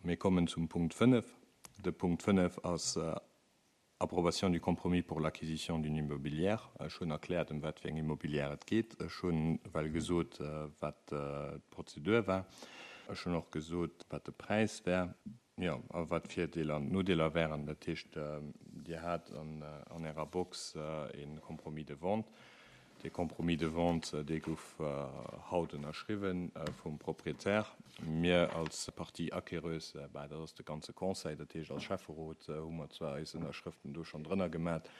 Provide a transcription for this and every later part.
Mir kommen zum Punkt 5. De Punkt 5 ass Approbation du compromis pour l'acquisition d'une immobilière. Ech hunn erkläert, ëm wat fir eng Immobilière et geet. Ech hunn well gesot, wat d'Prozedur war. Ech hunn och gesot, wat de Präis wär. Jo, a wat d'Virdeeler an d'Nodeeler wären. Dat heescht, Dir hat an Ärer Box e Compromis de vente. Dee Compromis de vente, dee gouf haut ënnerschriwwen vum Proprietär. Mir als Partie acquéreuse, bah, dat ass de ganze Conseil, dat heescht als Schäfferot hu mer zwar eis Ënnerschrëften do schonn drënner gemat,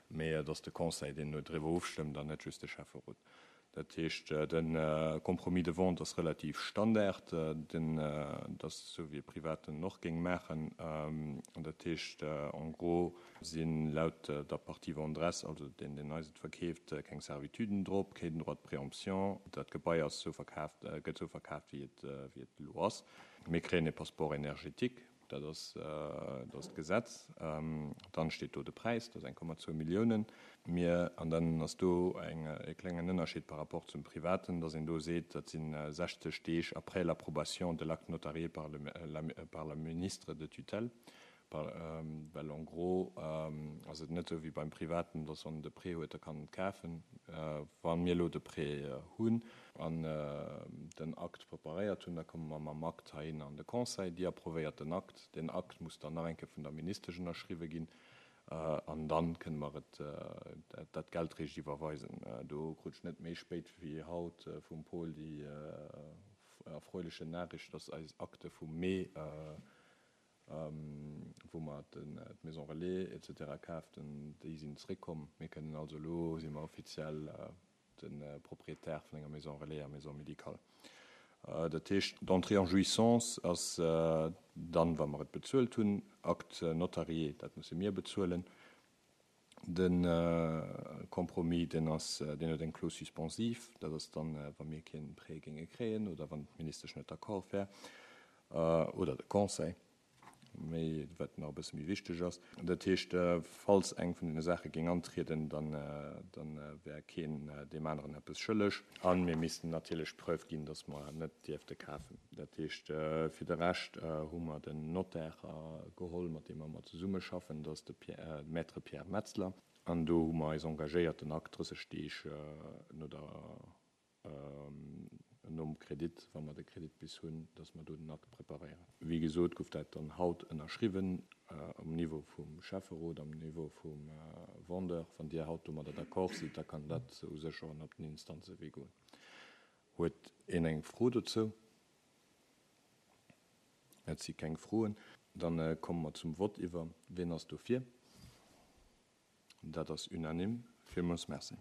mee et ass de Conseil, deen do driwwer ofstëmmt an net just de Schäfferot. Dat heescht, de Compromis de vente ass relativ Standard, den, dat ass esou wéi e Privaten och géing maachen. Dat heescht en gros si laut der Partie venderesse, also deen, deen eis et verkeeft, keng Servituden drop, keen Droit de préemption. Dat Gebai ass esou verkaaft, gëtt esou verkaaft, wéi et, wéi et elo ass. Mir kréien e Passeport énergétique. Dat ass, dat ass d'Gesetz. Dann steet do de Präis, dat ass 1,2 Milliounen. Mir, an dann ass do eng, e klengen Ënnerscheed par rapport zum Privaten, dass een do seet, dat si 60 Deeg après l'approbation de l'acte notarié par le, la, par la ministre de tutelle. Well en gros ass et net esou wéi beim Privaten, dass wann en de Prêt huet, da kann en et kafen. Wa mir elo de Prêt hunn an den Akt preparéiert hunn, da komme mer mam Akt heihinner an de Conseil. Déi approvéiert den Akt. Deen Akt muss dann nach eng Kéier vun der Ministesch ënnerschriwwe ginn an da kënne mer et, dat Geld réischt iwwerweisen. Do krut ech net méi spéit wéi haut vum Paul déi erfreulechen Nachricht, dass eis Akte vum Mee, wou mer d'Maison Relais et cetera kaaften, déi sinn zréckkomm. Mir kënnen also elo, si mer offiziell de Propriétaire vun enger Maison Relais a Maison médicale. Dat heescht, d'Entrée en jouissance ass dann, wa mer et bezuelt hunn, Acte notarié, dat musse mir bezuelen. De Compromis, deen ass, deen huet eng Clause suspensive, dat ass dann, wa mir kee Prêt géinge kréien oder wann d'Ministesch net d'accord wär oder de Conseil, méi, wat nach e bësse méi wichteg ass. Dat heescht, falls eng vun deene Saache géing antrieden, dann, dann wär keen deem aneren eppes schëlleg. A mir missten natierlech d'Preuve ginn, dass mer net dierfte kafen. Dat heescht, fir de Rescht hu mer den Notaire geholl, mat deem mer ëmmer zesummeschaffen, dat ass de Maître Pierre Metzler. An do hu mer eis engagéiert, den Akt 30 Deeg no der, nom Kredit, wa mer de Kredit bis hunn, dass mer do den Akt preparéieren. Wéi gesot gouf dat dann haut ënnerschriwwen um Niveau vum Schäfferot, am Niveau vum Vendeur. Wann Dir haut domadder d'accord sidd, da kann dat u sech och op den Instanzewee goen. Huet een eng Fro dozou? Et si keng Froen. Da komme mer zum Vott iwwer. Wien ass dofir? Dat ass unanime. Villmools Merci.